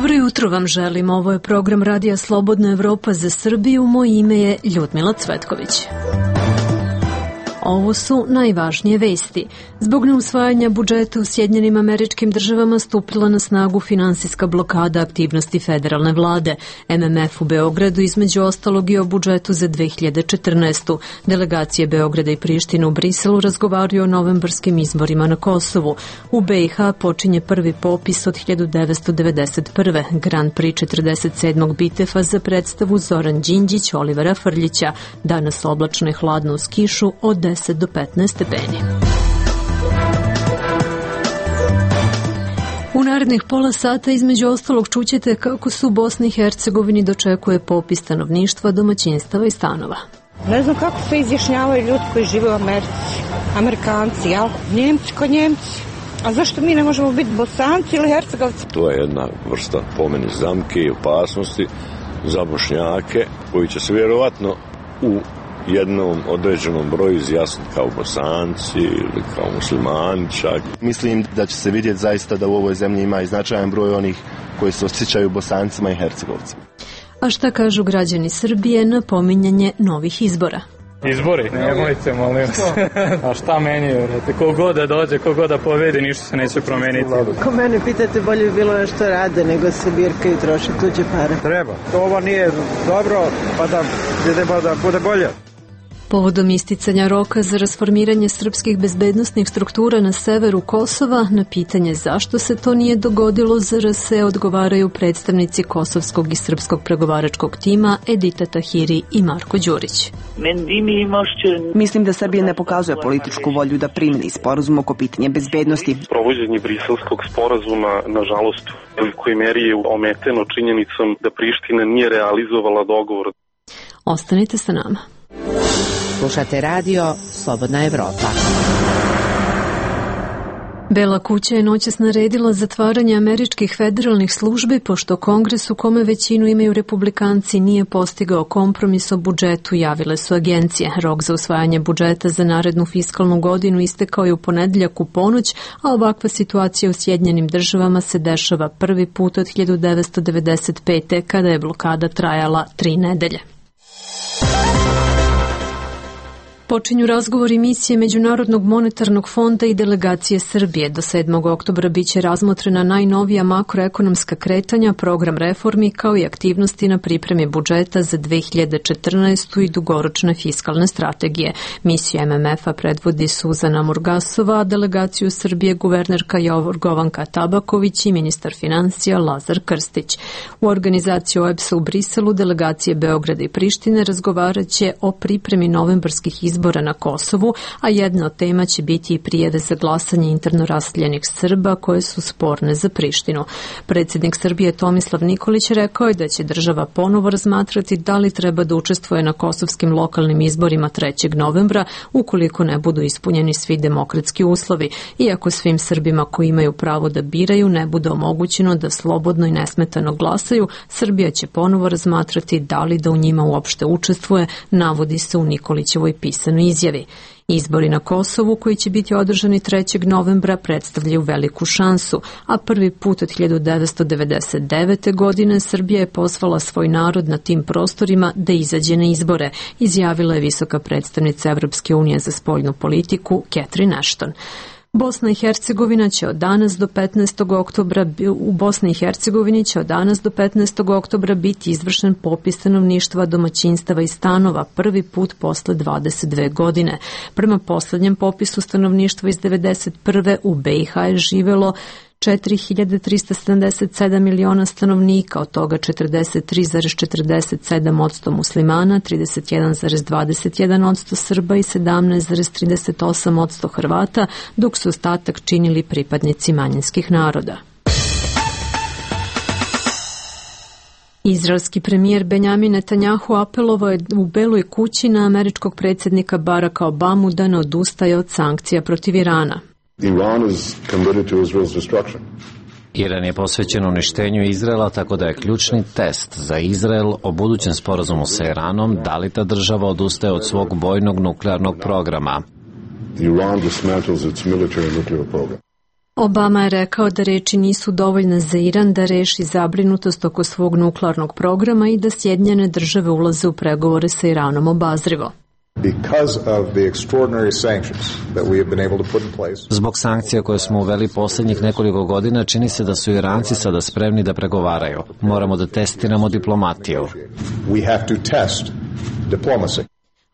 Dobro jutro vam želim. Ovo je program Radija Slobodna Evropa za Srbiju. Moje ime je Ljudmila Cvetković. Ovo su najvažnije vesti. Zbog neusvajanja budžeta u Sjedinjenim Američkim Državama stupila na snagu finansijska blokada aktivnosti federalne vlade. MMF u Beogradu između ostalog i o budžetu za 2014. Delegacije Beograda i Prištine u Briselu razgovaraju o novembarskim izborima na Kosovu. U BiH počinje prvi popis od 1991. Grand Prix 47. bitefa za predstavu Zoran Đinđić, Olivera Frljića. Danas oblačno i hladno uz kišu od 10 do 15 stepeni. U narednih pola sata između ostalog čućete kako se u Bosni i Hercegovini dočekuje popis stanovništva, domaćinstava i stanova. Ne znam kako se izjašnjavaju ljudi koji žive u Americi. Amerikanci, jel? Njemci ko Njemci. A zašto mi ne možemo biti Bosanci ili Hercegovci? To je jedna vrsta po meni zamke i opasnosti za Bošnjake koji će se vjerovatno u jednom određenom broju izjasniti kao Bosanci ili kao muslimani čak. Mislim da će se vidjeti zaista da u ovoj zemlji ima i značajan broj onih koji se osjećaju Bosancima i Hercegovcima. A šta kažu građani Srbije na pominjanje novih izbora? Izbori? Nemojte, molim vas. A šta meni, vrate? Kogod da dođe, kogod da pobedi, ništa se neće promeniti. Ko mene pitate, bolje bi bilo nešto rade nego se birkaju i troše tuđe pare. Treba. Ovo nije dobro, pa da bude bolje. Povodom isticanja roka za rasformiranje srpskih bezbednosnih struktura na severu Kosova, na pitanje zašto se to nije dogodilo, ZRS odgovaraju predstavnici kosovskog i srpskog pregovaračkog tima Edita Tahiri i Marko Đurić. Mislim da Srbija ne pokazuje političku volju da primeni sporazum oko pitanja bezbednosti. Provođenje briselskog sporazuma, nažalost, u velikoj meri je ometeno činjenicom da Priština nije realizovala dogovor. Ostanite sa nama. Slušate radio Slobodna Evropa. Bela kuća je noćas naredila zatvaranje američkih federalnih službi pošto Kongres u kome većinu imaju republikanci nije postigao kompromis o budžetu, javile su agencije. Rok za usvajanje budžeta za narednu fiskalnu godinu istekao je u ponedeljak u ponoć, a ovakva situacija u Sjedinjenim Državama se dešava prvi put od 1995. kada je blokada trajala 3 nedelje. Počinju razgovori misije Međunarodnog monetarnog fonda i delegacije Srbije. Do 7. oktobra biće razmotrena najnovija makroekonomska kretanja, program reformi kao i aktivnosti na pripremi budžeta za 2014. i dugoročne fiskalne strategije. Misiju MMF-a predvodi Suzana Murgasova, a delegaciju Srbije guvernerka Jorgovanka Tabaković i ministar financija Lazar Krstić. U organizaciji OEBS-a u Briselu delegacije Beograda i Prištine razgovarat će o pripremi novembarskih izbora na Kosovu, a jedna od tema će biti i prijave za glasanje interno raseljenih Srba koje su sporne za Prištinu. Predsjednik Srbije Tomislav Nikolić rekao je da će država ponovo razmatrati da li treba da učestvuje na kosovskim lokalnim izborima 3. novembra ukoliko ne budu ispunjeni svi demokratski uslovi. Iako svim Srbima koji imaju pravo da biraju ne bude omogućeno da slobodno i nesmetano glasaju, Srbija će ponovo razmatrati da li da u njima uopšte učestvuje, navodi se u Nikolićevoj pisanoj izjavi. Izbori na Kosovu koji će biti održani 3. novembra predstavljaju veliku šansu, a prvi put od 1999. godine Srbija je pozvala svoj narod na tim prostorima da izađe na izbore, izjavila je visoka predstavnica Evropske unije za spoljnu politiku Catherine Ashton. Bosna i Hercegovina će od danas do 15. oktobra u Bosni i Hercegovini će od danas do 15. oktobra biti izvršen popis stanovništva, domaćinstava i stanova prvi put posle 22 godine. Prema poslednjem popisu stanovništva iz 1991. u BiH je živelo 4.377 miliona stanovnika, od toga 43,47% muslimana, 31,21% Srba i 17,38% Hrvata, dok su ostatak činili pripadnici manjinskih naroda. Izraelski premijer Benjamin Netanjahu apelovao je u Beloj kući na američkog predsjednika Baracka Obamu da ne odustaje od sankcija protiv Irana. Iran je posvećen uništenju Izraela, tako da je ključni test za Izrael o budućem sporazumu sa Iranom da li ta država odustaje od svog vojnog nuklearnog programa. Obama je rekao da reči nisu dovoljne za Iran da reši zabrinutost oko svog nuklearnog programa i da Sjedinjene države ulaze u pregovore sa Iranom obazrivo. Zbog sankcija koje smo uveli posljednjih nekoliko godina, čini se da su Iranci sada spremni da pregovaraju. Moramo da testiramo diplomatiju.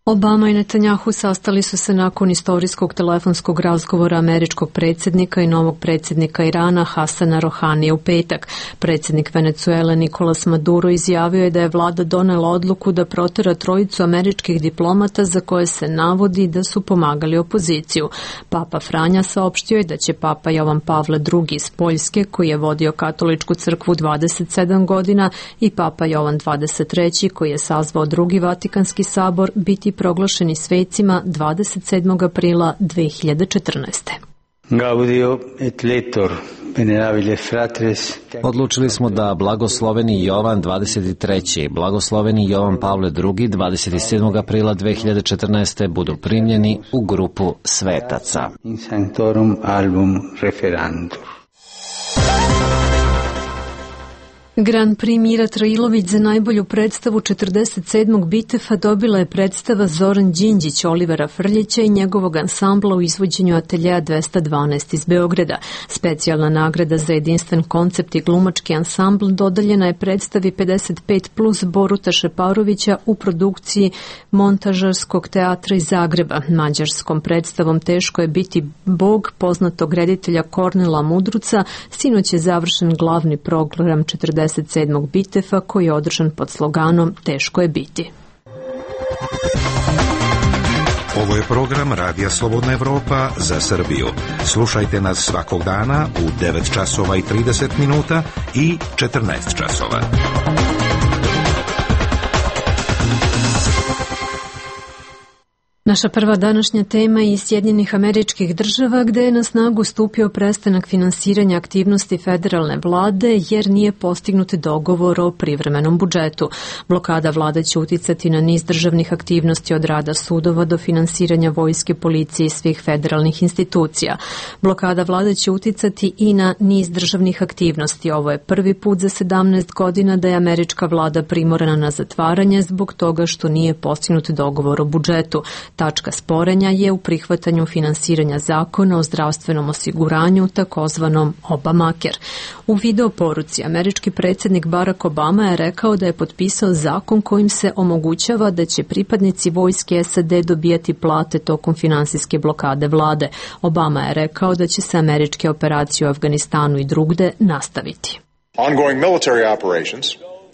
Obama i Netanjahu sastali su se nakon istorijskog telefonskog razgovora američkog predsjednika i novog predsjednika Irana Hasana Rohanija u petak. Predsjednik Venezuele Nicolas Maduro izjavio je da je vlada donela odluku da protera trojicu američkih diplomata za koje se navodi da su pomagali opoziciju. Papa Franja saopštio je da će Papa Jovan Pavle II iz Poljske, koji je vodio katoličku crkvu 27 godina, i Papa Jovan XXIII, koji je sazvao drugi Vatikanski sabor, biti proglašeni svecima 27. aprila 2014. Gaudio et letor, venerabile fratres. Odlučili smo da blagosloveni Jovan 23. i blagosloveni Jovan Pavle II 27. aprila 2014. budu primljeni u grupu svetaca. In sanctorum album referantur. Grand Prix Mira Trailović za najbolju predstavu 47. Bitefa dobila je predstava Zoran Đinđić, Olivera Frljića i njegovog ansambla u izvođenju Ateljeja 212 iz Beograda. Specijalna nagrada za jedinstven koncept i glumački ansambl dodeljena je predstavi 55 plus Boruta Šeparovića u produkciji Montažarskog teatra iz Zagreba. Mađarskom predstavom Teško je biti Bog poznatog reditelja Kornela Mudruca sinoć je završen glavni program 47. Bitefa koji je održan pod sloganom Teško je biti. Ovo je program Radija Slobodna Evropa za Srbiju. Slušajte nas svakog dana u 9 časova i 30 minuta i 14 časova. Naša prva današnja tema je iz Sjedinjenih Američkih Država, gde je na snagu stupio prestanak finansiranja aktivnosti federalne vlade jer nije postignut dogovor o privremenom budžetu. Blokada vlade će uticati na niz državnih aktivnosti od rada sudova do finansiranja vojske, policije i svih federalnih institucija. Blokada vlade će uticati i na niz državnih aktivnosti. Ovo je prvi put za 17 godina da je američka vlada primorana na zatvaranje zbog toga što nije postignut dogovor o budžetu. Tačka sporenja je u prihvatanju finansiranja zakona o zdravstvenom osiguranju, takozvanom Obamacare. U video poruci američki predsjednik Barack Obama je rekao da je potpisao zakon kojim se omogućava da će pripadnici vojske SAD dobijati plate tokom finansijske blokade vlade. Obama je rekao da će se američke operacije u Afganistanu i drugde nastaviti. Ongoing military operations,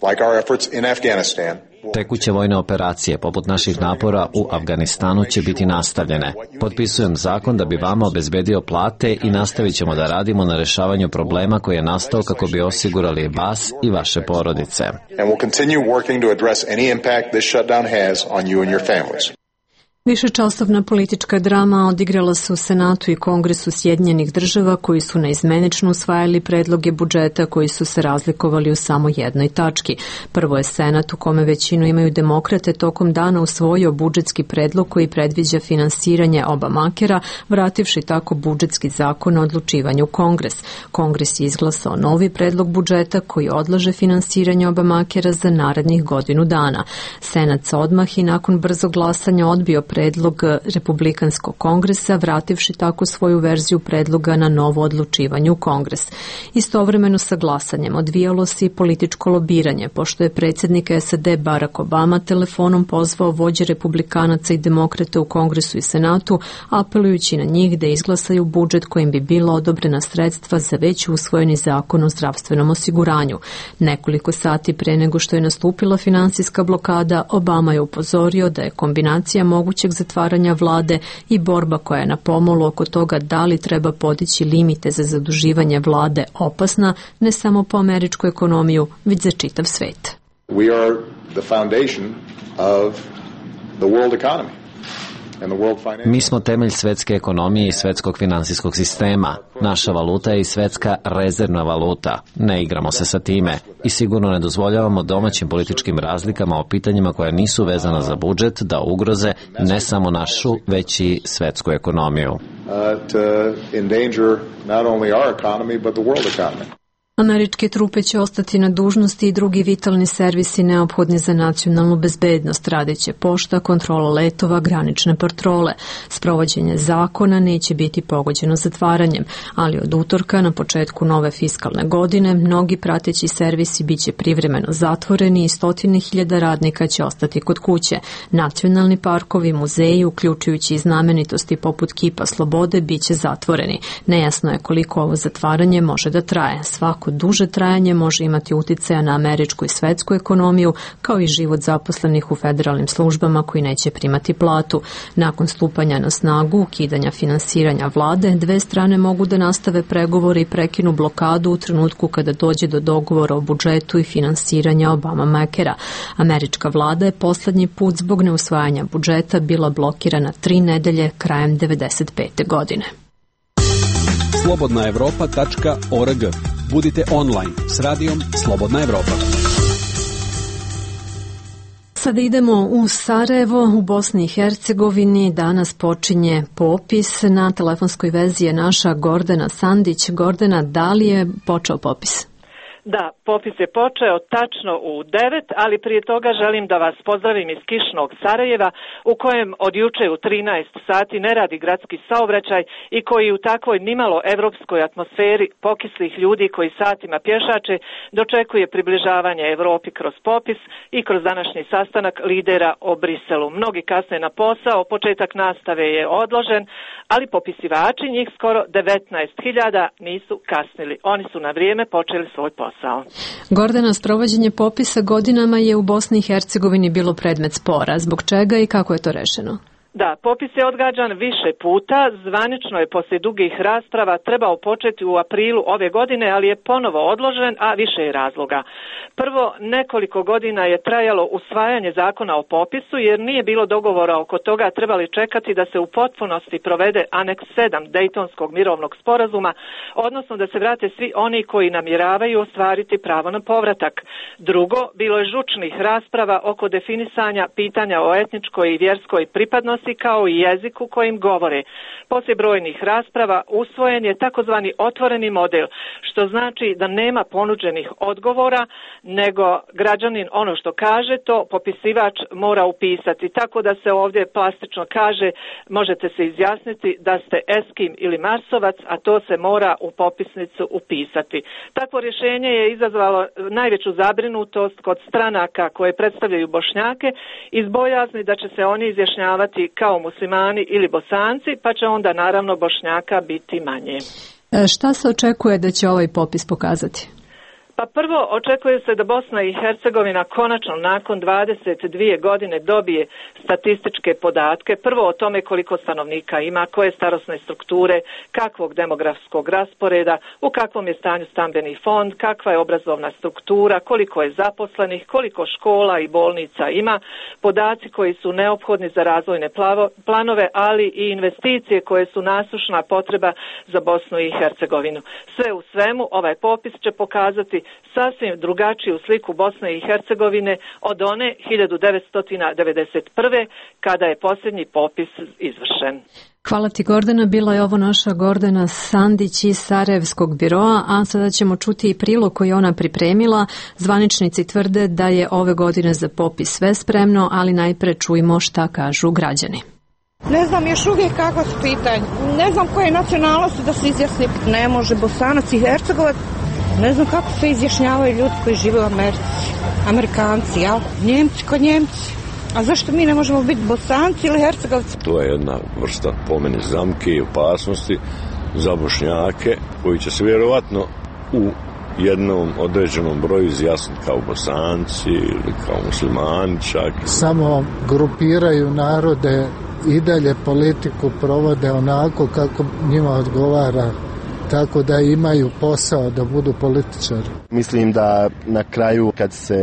like our efforts in Afghanistan, Tekuće vojne operacije, poput naših napora u Afganistanu, će biti nastavljene. Potpisujem zakon da bi vama obezbedio plate i nastavit ćemo da radimo na rešavanju problema koji je nastao kako bi osigurali vas i vaše porodice. Višečasovna politička drama odigrala se u Senatu i Kongresu Sjedinjenih Država koji su naizmenično usvajali predloge budžeta koji su se razlikovali u samo jednoj tački. Prvo je Senat u kome većinu imaju demokrate tokom dana usvojio budžetski predlog koji predviđa finansiranje Obamacarea, vrativši tako budžetski zakon o odlučivanju Kongres. Kongres je izglasao novi predlog budžeta koji odlaže finansiranje Obamacarea za narednih godinu dana. Senat se odmah i nakon brzog glasanja odbio predlog Republikanskog kongresa, vrativši tako svoju verziju predloga na novo odlučivanje u Kongres. Istovremeno sa glasanjem odvijalo se i političko lobiranje, pošto je predsjednik SAD Barack Obama telefonom pozvao vođe republikanaca i demokrate u Kongresu i Senatu, apelujući na njih da izglasaju budžet kojim bi bila odobrena sredstva za već usvojeni zakon o zdravstvenom osiguranju. Nekoliko sati pre nego što je nastupila finansijska blokada, Obama je upozorio da je kombinacija mogućeg zatvaranja vlade i borba koja je na pomolu oko toga da li treba podići limite za zaduživanje vlade opasna ne samo po američku ekonomiju, već za čitav svet. We are the foundation of the world economy. Mi smo temelj svetske ekonomije i svetskog finansijskog sistema. Naša valuta je i svetska rezervna valuta. Ne igramo se sa time i sigurno ne dozvoljavamo domaćim političkim razlikama o pitanjima koja nisu vezana za budžet da ugroze ne samo našu, već i svetsku ekonomiju. Američke trupe će ostati na dužnosti i drugi vitalni servisi neophodni za nacionalnu bezbednost, radeće pošta, kontrola letova, granične patrole. Sprovođenje zakona neće biti pogođeno zatvaranjem, ali od utorka na početku nove fiskalne godine mnogi prateći servisi biće privremeno zatvoreni i 100.000 radnika će ostati kod kuće. Nacionalni parkovi, muzeji, uključujući i znamenitosti poput Kipa Slobode, biće zatvoreni. Nejasno je koliko ovo zatvaranje može da traje. Svako duže trajanje može imati uticaja na američku i svetsku ekonomiju, kao i život zaposlenih u federalnim službama koji neće primati platu. Nakon stupanja na snagu, ukidanja finansiranja vlade, dve strane mogu da nastave pregovore i prekinu blokadu u trenutku kada dođe do dogovora o budžetu i finansiranja Obama-Makera. Američka vlada je poslednji put zbog neusvajanja budžeta bila blokirana 3 nedelje krajem 1995. godine. slobodnaevropa.org. Budite online s radijom Slobodna Evropa. Sada idemo u Sarajevo, u Bosni i Hercegovini. Danas počinje popis. Na telefonskoj vezi je naša Gordana Sandić. Gordana, da li je počeo popis? Da, popis je počeo tačno u 9, ali prije toga želim da vas pozdravim iz kišnog Sarajeva, u kojem od juče u 13 sati ne radi gradski saobraćaj i koji u takvoj nimalo evropskoj atmosferi pokislih ljudi koji satima pješače dočekuje približavanje Evropi kroz popis i kroz današnji sastanak lidera o Briselu. Mnogi kasne na posao, početak nastave je odložen, ali popisivači, njih skoro 19.000, nisu kasnili. Oni su na vrijeme počeli svoj posao. Gordana, sprovođenje popisa godinama je u Bosni i Hercegovini bilo predmet spora. Zbog čega i kako je to rešeno? Da, popis je odgađan više puta, zvanično je poslije dugih rasprava trebao početi u aprilu ove godine, ali je ponovo odložen, a više je razloga. Prvo, nekoliko godina je trajalo usvajanje zakona o popisu, jer nije bilo dogovora oko toga, trebali čekati da se u potpunosti provede aneks 7 Dejtonskog mirovnog sporazuma, odnosno da se vrate svi oni koji namjeravaju ostvariti pravo na povratak. Drugo, bilo je žučnih rasprava oko definisanja pitanja o etničkoj i vjerskoj pripadnosti kao i jeziku kojim govore. Poslije brojnih rasprava usvojen je takozvani otvoreni model, što znači da nema ponuđenih odgovora, nego građanin ono što kaže, to popisivač mora upisati. Tako da se ovdje plastično kaže, možete se izjasniti da ste Eskim ili Marsovac, a to se mora u popisnicu upisati. Takvo rješenje je izazvalo najveću zabrinutost kod stranaka koje predstavljaju Bošnjake iz bojazni da će se oni izjašnjavati kao muslimani ili Bosanci, pa će onda naravno Bošnjaka biti manje. Šta se očekuje da će ovaj popis pokazati? Pa prvo, očekuje se da Bosna i Hercegovina konačno nakon 22 godine dobije statističke podatke. Prvo o tome koliko stanovnika ima, koje starosne strukture, kakvog demografskog rasporeda, u kakvom je stanju stambeni fond, kakva je obrazovna struktura, koliko je zaposlenih, koliko škola i bolnica ima, podaci koji su neophodni za razvojne planove, ali i investicije koje su nasušna potreba za Bosnu i Hercegovinu. Sve u svemu, ovaj popis će pokazati sasvim drugačiju sliku Bosne i Hercegovine od one 1991. kada je posljednji popis izvršen. Hvala ti, Gordana. Bila je ovo naša Gordana Sandić iz Sarajevskog biroa, a sada ćemo čuti i prilog koji ona pripremila. Zvaničnici tvrde da je ove godine za popis sve spremno, ali najpre čujmo šta kažu građani. Ne znam još uvijek kako su pitanje. Ne znam koje nacionalnosti da se izjasni. Ne može Bosanac i Hercegovac. Ne znam kako se izjašnjavaju ljudi koji žive u Americi. Amerikanci, jel? Njemci ko Njemci. A zašto mi ne možemo biti Bosanci ili Hercegovci? To je jedna vrsta po meni zamke i opasnosti za Bošnjake koji će se vjerovatno u jednom određenom broju izjasniti kao Bosanci ili kao muslimani čak. Samo grupiraju narode i dalje politiku provode onako kako njima odgovara, tako da imaju posao da budu političari. Mislim da na kraju kad se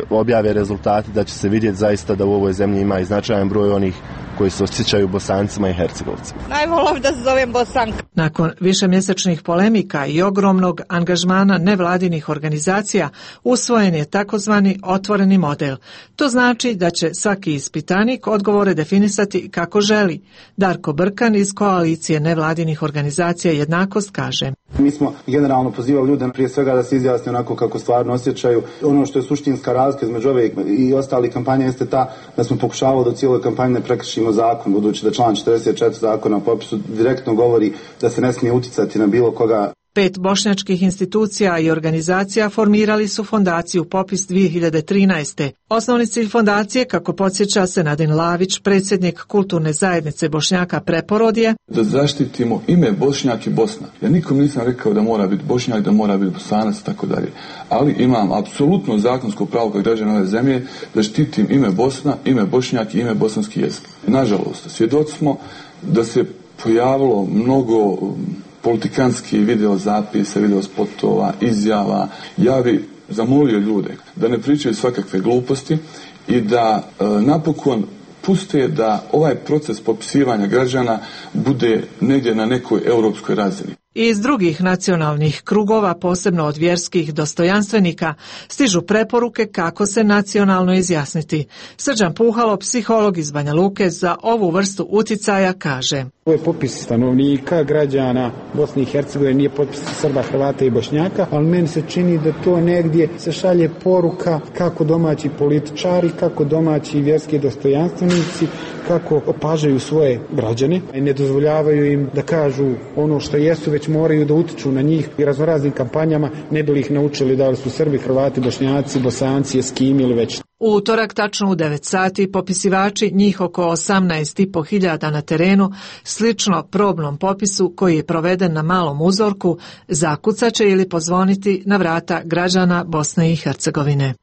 objave rezultati da će se vidjeti zaista da u ovoj zemlji ima i značajan broj onih koji se osjećaju Bosancima i Hercegovcima. Najvolao da se zovem Bosanka. Nakon višemjesečnih polemika i ogromnog angažmana nevladinih organizacija usvojen je takozvani otvoreni model. To znači da će svaki ispitanik odgovore definisati kako želi. Darko Brkan iz koalicije nevladinih organizacija Jednakost kaže: Mi smo generalno pozivali ljude prije svega da se izjasne onako kako stvarno osjećaju. Ono što je suštinska razlika između ove i ostalih kampanja jeste ta da smo pokušavali da u cijeloj kampanji ne prekršimo zakon, budući da član 44 zakona o popisu direktno govori da se ne smije uticati na bilo koga. 5 bošnjačkih institucija i organizacija formirali su fondaciju Popis 2013. Osnovni cilj fondacije, kako podsjeća Senadin Lavić, predsjednik kulturne zajednice Bošnjaka Preporod je da zaštitimo ime Bošnjak i Bosna. Ja nikom nisam rekao da mora biti Bošnjak, da mora biti Bosanac i tako dalje. Ali imam apsolutno zakonsko pravo kao građan ove zemlje da štitim ime Bosna, ime Bošnjak i ime bosanski jezik. Nažalost, svjedoci smo da se pojavilo mnogo politikanski video zapisa, video spotova, izjava. Ja bih zamolio ljude da ne pričaju svakakve gluposti i da napokon puste da ovaj proces popisivanja građana bude negdje na nekoj europskoj razini. Iz drugih nacionalnih krugova, posebno od vjerskih dostojanstvenika, stižu preporuke kako se nacionalno izjasniti. Srđan Puhalo, psiholog iz Banja Luke, za ovu vrstu uticaja kaže: Ovo je popis stanovnika, građana Bosne i Hercegovine, nije popis Srba, Hrvata i Bošnjaka, ali meni se čini da to negdje se šalje poruka kako domaći političari, kako domaći vjerski dostojanstvenici, kako opažaju svoje građane i ne dozvoljavaju im da kažu ono što jesu, već moraju da utiču na njih i raznoraznim kampanjama, ne bi li ih naučili da li su Srbi, Hrvati, Bošnjaci, Bosanci, Eskimi ili već. U utorak tačno u 9 sati popisivači, njih oko 18.500 na terenu, slično probnom popisu koji je proveden na malom uzorku, zakucaće ili pozvoniti na vrata građana Bosne i Hercegovine.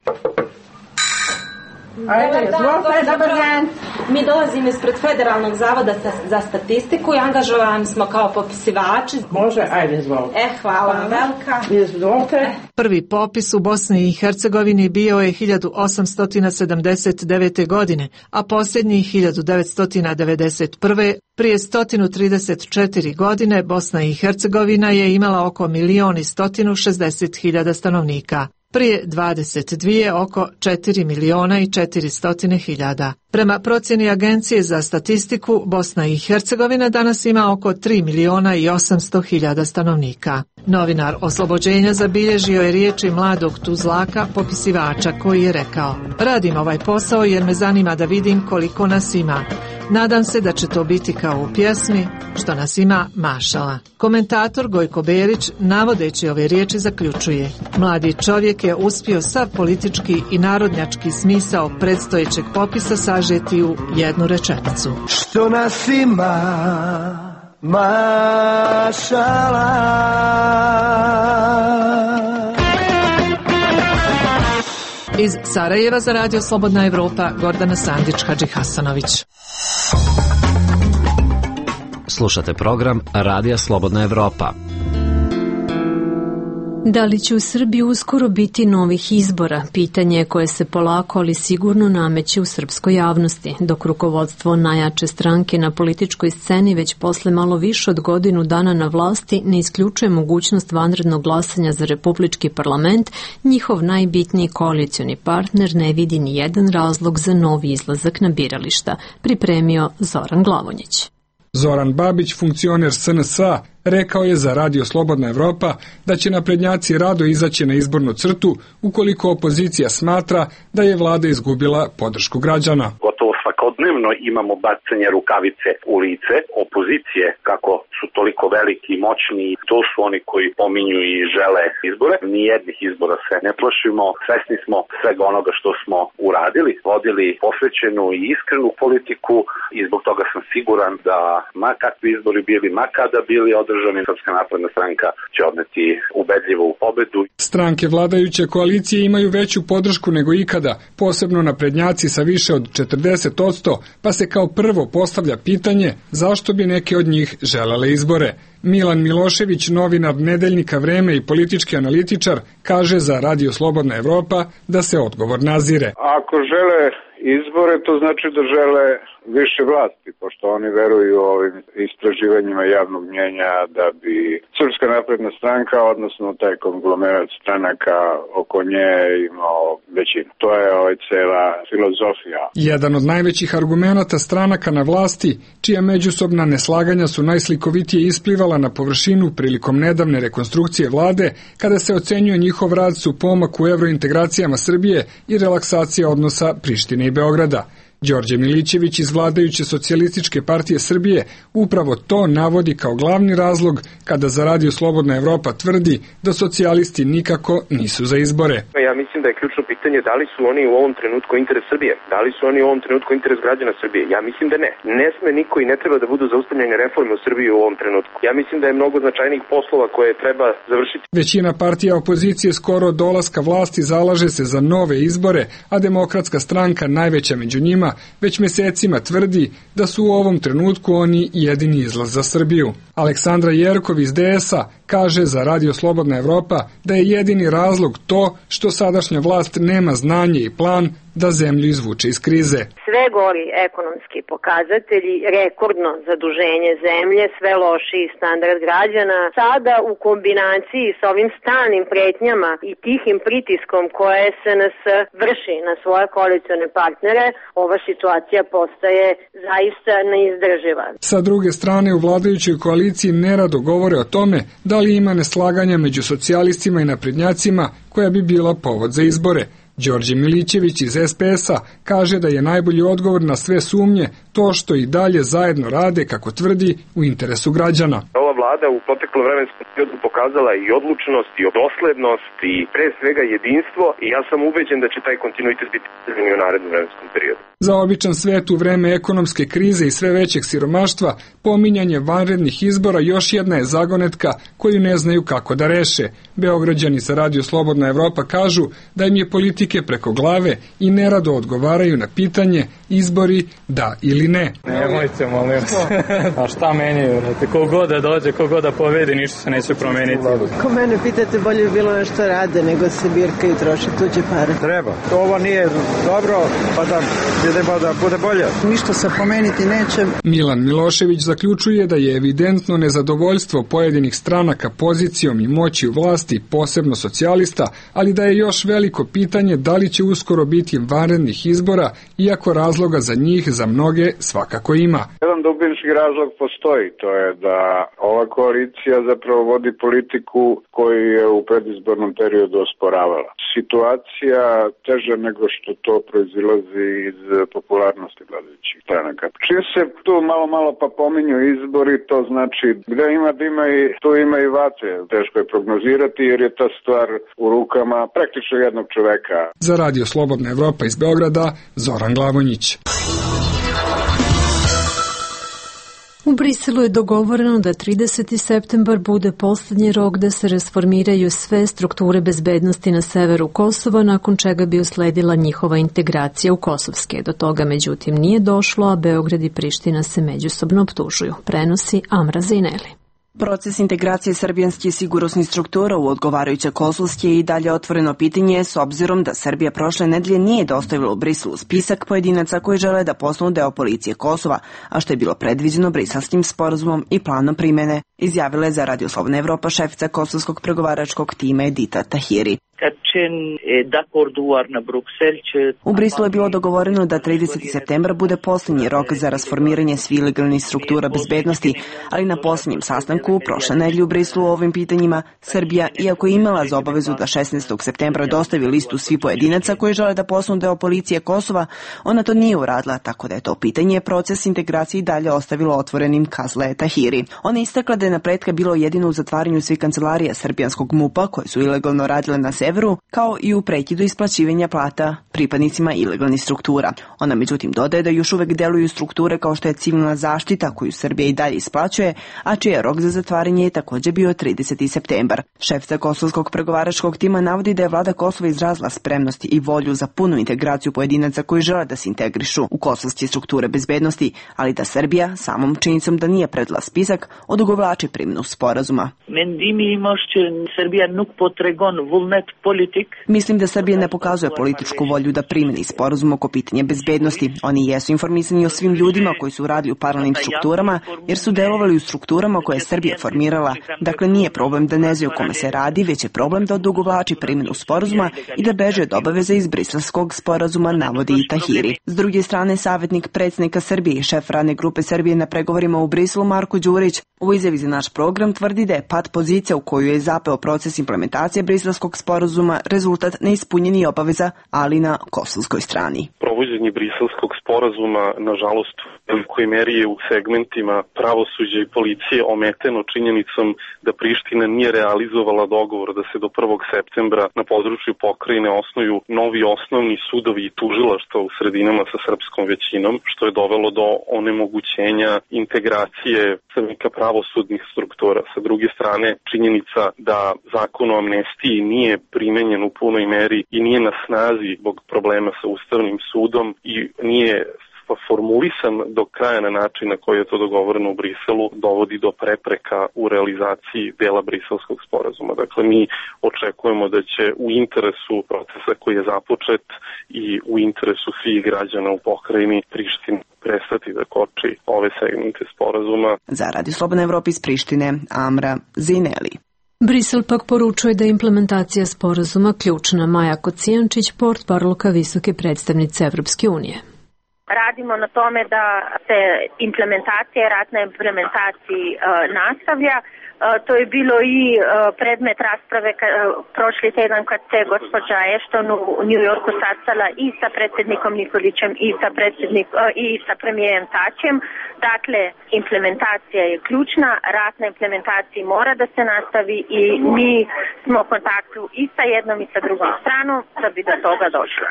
Dobar dan. Mi dolazimo ispred Federalnog zavoda za statistiku i angažovani smo kao popisivači. Može, ajde, izvolite. Hvala vam velika. Izvolite. Prvi popis u Bosni i Hercegovini bio je 1879. godine, a posljednji 1991. Prije 134 godine Bosna i Hercegovina je imala oko 1.160.000 stanovnika. Prije 22 oko 4.400.000. Prema procjeni Agencije za statistiku, Bosna i Hercegovina danas ima oko 3.800.000 stanovnika. Novinar Oslobođenja zabilježio je riječi mladog Tuzlaka, popisivača, koji je rekao: radim ovaj posao jer me zanima da vidim koliko nas ima. Nadam se da će to biti kao u pjesmi što nas ima mašala. Komentator Gojko Berić, navodeći ove riječi, zaključuje: mladi čovjek je uspio sav politički i narodnjački smisao predstojećeg popisa sažeti u jednu rečenicu. Što nas ima mašala. Iz Sarajeva za Radio Slobodna Evropa, Gordana Sandić-Hadžihasanović. Slušate program Radija Slobodna Evropa. Da li će u Srbiji uskoro biti novih izbora? Pitanje koje se polako, ali sigurno nameće u srpskoj javnosti, dok rukovodstvo najjače stranke na političkoj sceni već posle malo više od godinu dana na vlasti ne isključuje mogućnost vanrednog glasanja za republički parlament, njihov najbitniji koalicioni partner ne vidi ni jedan razlog za novi izlazak na birališta, pripremio Zoran Glavonjić. Zoran Babić, funkcioner SNS-a, rekao je za Radio Slobodna Evropa da će naprednjaci rado izaći na izbornu crtu ukoliko opozicija smatra da je vlada izgubila podršku građana. Gotovo svakodnevno imamo bacanje rukavice u lice opozicije, kako su toliko veliki i moćni. To su oni koji pominju i žele izbore. Nijednih izbora se ne plašimo. Svesni smo svega onoga što smo uradili, vodili posvećenu i iskrenu politiku i zbog toga sam siguran da ma kakvi izbori bili, ma kada bili održani, Srpska napredna stranka će odneti ubedljivo u pobedu. Stranke vladajuće koalicije imaju veću podršku nego ikada, posebno naprednjaci sa više od 40%, pa se kao prvo postavlja pitanje zašto bi neke od njih želele izbore. Milan Milošević, novinar Nedeljnika Vreme i politički analitičar, kaže za Radio Slobodna Evropa da se odgovor nazire. Ako žele izbore, to znači da žele više vlasti, pošto oni veruju ovim istraživanjima javnog mnjenja da bi Srpska napredna stranka, odnosno taj konglomerat stranaka oko nje imao većinu. To je cela filozofija. Jedan od najvećih argumenata stranaka na vlasti, čija međusobna neslaganja su najslikovitije isplivala na površinu prilikom nedavne rekonstrukcije vlade, kada se ocenjuje njihov rad su pomak u evrointegracijama Srbije i relaksacija odnosa Prištine i Beograda. Đorđe Milićević iz vladajuće Socijalističke partije Srbije upravo to navodi kao glavni razlog kada za Radio Slobodna Evropa tvrdi da socijalisti nikako nisu za izbore. Ja mislim da je ključno pitanje da li su oni u ovom trenutku interes Srbije, da li su oni u ovom trenutku interes građana Srbije. Ja mislim da ne. Ne sme niko i ne treba da budu zaustavljene reforme u Srbiji u ovom trenutku. Ja mislim da je mnogo značajnijih poslova koje treba završiti. Većina partija opozicije skoro od dolaska vlasti zalaže se za nove izbore, a Demokratska stranka, najveća među njima, već mesecima tvrdi da su u ovom trenutku oni jedini izlaz za Srbiju. Aleksandra Jerkov iz DS-a kaže za Radio Slobodna Evropa da je jedini razlog to što sadašnja vlast nema znanje i plan da zemlju izvuče iz krize. Sve gori ekonomski pokazatelji, rekordno zaduženje zemlje, sve lošiji standard građana, sada u kombinaciji sa ovim stalnim pretnjama i tihim pritiskom koje SNS vrši na svoje koalicione partnere, ova situacija postaje zaista neizdrživa. Sa druge strane, u vladajućoj koaliciji nerado govore o tome da li ima neslaganja među socijalistima i naprednjacima koja bi bila povod za izbore. Đorđe Milićević iz SPS-a kaže da je najbolji odgovor na sve sumnje to što i dalje zajedno rade, kako tvrdi, u interesu građana. Ova vlada u proteklom vremenskom periodu pokazala i odlučnost, i doslednost, i pre svega jedinstvo, i ja sam ubeđen da će taj kontinuitet biti i u narednom vremenskom periodu. Za običan svet u vreme ekonomske krize i sve većeg siromaštva, pominjanje vanrednih izbora još jedna je zagonetka koju ne znaju kako da reše. Beograđani sa Radio Slobodna Evropa kažu da im je politike preko glave i nerado odgovaraju na pitanje izbori da ili ne. Nemojte, molim vas. A šta meni, vrate, kogod da dođe, kogod da pobedi, ništa se neće promeniti. Ko mene pitate, bolje bi bilo nešto rade, nego se birka i troši tuđe pare. Treba. Ovo nije dobro, pa da idemo da bude bolje. Ništa se promeniti neće. Milan Milošević zaključuje da je evidentno nezadovoljstvo pojedinih stranaka pozicijom i moći u vlasti, posebno socijalista, ali da je još veliko pitanje da li će uskoro biti vanrednih izbora, iako razloga za njih za mnoge svakako ima. Jedan dubinski razlog postoji, to je da ova koalicija zapravo vodi politiku koju je u predizbornom periodu osporavala. Situacija teža nego što to proizilazi iz popularnosti vladajućih stranaka. Čim se tu malo pa pominju izbori, to znači gde ima dima i tu ima i vatre. Teško je prognozirati jer je ta stvar u rukama praktično jednog čoveka. Za Radio Slobodna Evropa iz Beograda, Zoran Glavonjić. U Briselu je dogovoreno da 30. septembar bude poslednji rok da se rasformiraju sve strukture bezbednosti na severu Kosova, nakon čega bi usledila njihova integracija u kosovske. Do toga međutim nije došlo, a Beograd i Priština se međusobno optužuju. Prenosi Amra Zineli. Proces integracije srbijanskih sigurnosnih struktura u odgovarajuće kosovske je i dalje otvoreno pitanje s obzirom da Srbija prošle nedelje nije dostavila u Briselu spisak pojedinaca koji žele da postanu deo policije Kosova, a što je bilo predviđeno briselskim sporazumom i planom primene, izjavila je za Radio Slobodna Evropa šefica kosovskog pregovaračkog tima Edita Tahiri. U Briselu je bilo dogovoreno da 30. septembar bude posljednji rok za rasformiranje svih ilegalnih struktura bezbednosti, ali na posljednjem sastanku prošle nedelje u Briselu o ovim pitanjima Srbija, iako je imala za obavezu da 16. septembra dostavi listu svih pojedinaca koji žele da postanu deo policije Kosova, ona to nije uradila, tako da je to pitanje proces integracije i dalje ostavilo otvorenim, kazala je Tahiri. Ona istakla da je napretka bilo jedino u zatvaranju svih kancelarija srbijanskog MUP-a koje su ilegalno radile na severu, kao i u prekidu isplaćivanja plata pripadnicima ilegalnih struktura. Ona međutim dodaje da još uvek deluju strukture kao što je civilna zaštita koju Srbija i dalje isplaćuje, a čiji je rok za zatvaranje je također bio 30. septembar. Šefica kosovskog pregovaračkog tima navodi da je vlada Kosova izrazila spremnost i volju za punu integraciju pojedinaca koji žele da se integrišu u kosovske strukture bezbednosti, ali da Srbija, samom činjenicom da nije predala spisak, odugovlači primjenu sporazuma. Mislim da Srbija ne pokazuje političku volju da primeni sporazum oko pitanja bezbednosti. Oni jesu informisani o svim ljudima koji su radili u paralelnim strukturama, jer su delovali u strukturama koje je Srbija formirala. Dakle, nije problem da ne znaju o kome se radi, već je problem da odugovlači primjenu sporazuma i da beže od obaveza iz Briselskog sporazuma, navodi i Tahiri. S druge strane, savjetnik predsjednika Srbije i šef radne grupe Srbije na pregovorima u Briselu Marko Đurić u izjavi za naš program tvrdi da je pad pozicija u koju je zapeo proces implementacije Briselskog sporazuma rezultat neispunjenih obaveza, ali na kosovskoj strani. Provođenje Briselskog sporazuma, nažalost, u velikoj meri je u segmentima pravosuđa i policije ometeno činjenicom da Priština nije realizovala dogovor da se do 1. septembra na području pokrajine osnuju novi osnovni sudovi i tužilaštva u sredinama sa srpskom većinom, što je dovelo do onemogućenja integracije predstavnika pravosudnih struktura. Sa druge strane, činjenica da zakon o amnestiji nije primenjen u punoj meri i nije na snazi zbog problema sa Ustavnim sudom i nije formulisan do kraja na način na koji je to dogovoreno u Briselu, dovodi do prepreka u realizaciji dela Briselskog sporazuma. Dakle, mi očekujemo da će u interesu procesa koji je započet i u interesu svih građana u pokrajini Prištine prestati da koči ove segmente sporazuma. Za Radio Slobodna Evropa iz Prištine, Amra Zineli. Brisel pak poručuje da je implementacija sporazuma ključna. Maja Kocijančić, portparolka visoke predstavnice Evropske unije. Radimo na tome da se implementacija, ratna implementaciji nastavlja. To je bilo i predmet rasprave prošli tjedan kad se gospođa Ashton u New Yorku sastala i sa predsjednikom Nikolićem i sa premijerom Tačem. Dakle, implementacija je ključna, ratna implementacija mora da se nastavi i mi smo u kontaktu i sa jednom i sa drugom stranom da bi do toga došlo.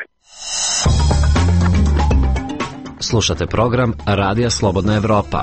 Slušate program Radija Slobodna Evropa.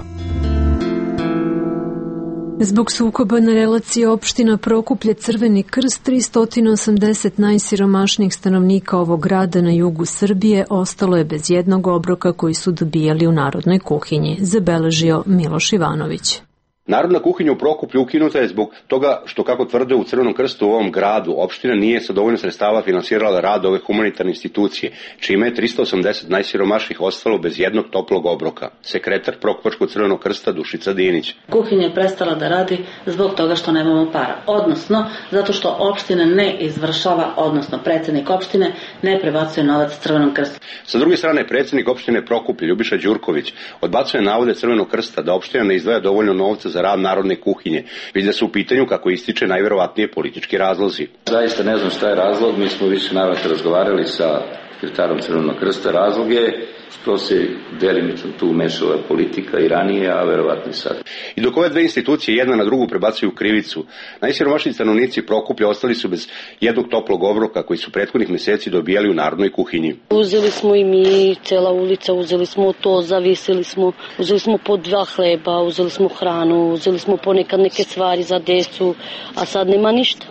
Zbog sukoba na relaciji opština Prokuplje Crveni krst, 380 najsiromašnijih stanovnika ovog grada na jugu Srbije ostalo je bez jednog obroka koji su dobijali u narodnoj kuhinji, zabeležio Miloš Ivanović. Narodna kuhinja u Prokuplju ukinuta je zbog toga što, kako tvrde u Crvenom krstu u ovom gradu, opština nije sa dovoljno sredstava finansirala rad ove humanitarne institucije, čime je 380 najsiromašnijih ostalo bez jednog toplog obroka. Sekretar Prokupačkog Crvenog krsta Dušica Dinić. Kuhinja je prestala da radi zbog toga što nemamo para, odnosno zato što opština ne izvršava, odnosno predsjednik opštine ne prebacuje novac Crvenom krstu. Sa druge strane, predsjednik opštine Prokuplje Ljubiša Đurković odbacuje navode Crvenog krsta da opština ne izdvaja dovoljno novca za rad narodne kuhinje, već da su u pitanju, kako ističe, najverovatnije politički razlozi. Zaista ne znam šta je razlog, mi smo više navrata razgovarali sa sekretarom Crvenog krsta. Razlog je što se delimično tu umešala politika i ranije, a verovatno i sad. I dok ove dve institucije jedna na drugu prebacuju krivicu, najsiromašniji stanovnici Prokuplja ostali su bez jednog toplog obroka koji su prethodnih meseci dobijali u narodnoj kuhinji. Uzeli smo i mi, cela ulica, uzeli smo to, zavisili smo, uzeli smo po 2 hleba, uzeli smo hranu, uzeli smo ponekad neke stvari za decu, a sad nema ništa.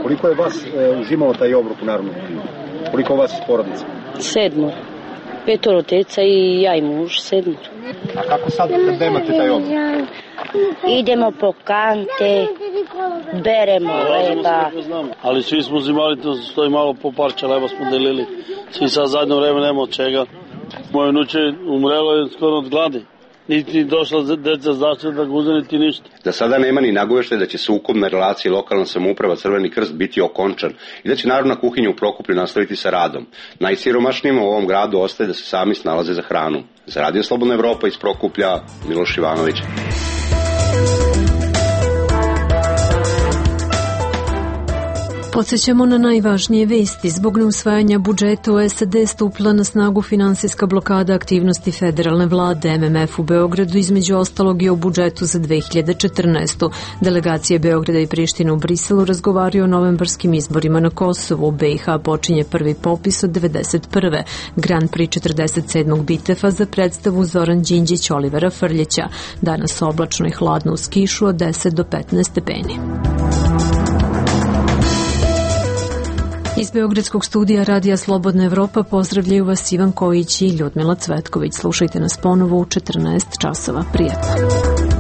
Koliko je vas uzimalo taj obrok u narodnoj kuhinji? Koliko vas iz porodice? 7. 5 deca i ja i muž, 7. A kako sad kad nemate taj obrok? Idemo po kante, beremo leba. Ali svi smo uzimali, to stoji malo po parče leba smo delili. Svi sad zadnje vreme nema od čega. Moje unuče umrelo je skoro od gladi. Niti došla deca zaštita da ga uzme, niti ništa. Da sada nema ni nagoveštaja da će sukob na relaciji lokalna samouprava Crveni krst biti okončan i da će narodna kuhinja u Prokuplju nastaviti sa radom. Najsiromašnijima u ovom gradu ostaje da se sami snalaze za hranu. Za Radio Slobodna Evropa iz Prokuplja, Miloš Ivanović. Podsjećamo na najvažnije vesti. Zbog neusvajanja budžeta u SAD stupila na snagu finansijska blokada aktivnosti federalne vlade. MMF u Beogradu između ostalog je o budžetu za 2014. Delegacije Beograda i Prištine u Briselu razgovaraju o novembarskim izborima na Kosovu. U BiH počinje prvi popis od 1991. Grand Prix 47. bitefa za predstavu Zoran Đinđić Olivera Frljića. Danas oblačno i hladno uz kišu od 10 do 15 stepeni. Iz Beogradskog studija Radija Slobodna Evropa pozdravljaju vas Ivan Kojić i Ljudmila Cvetković. Slušajte nas ponovo u 14 časova. Prijatno.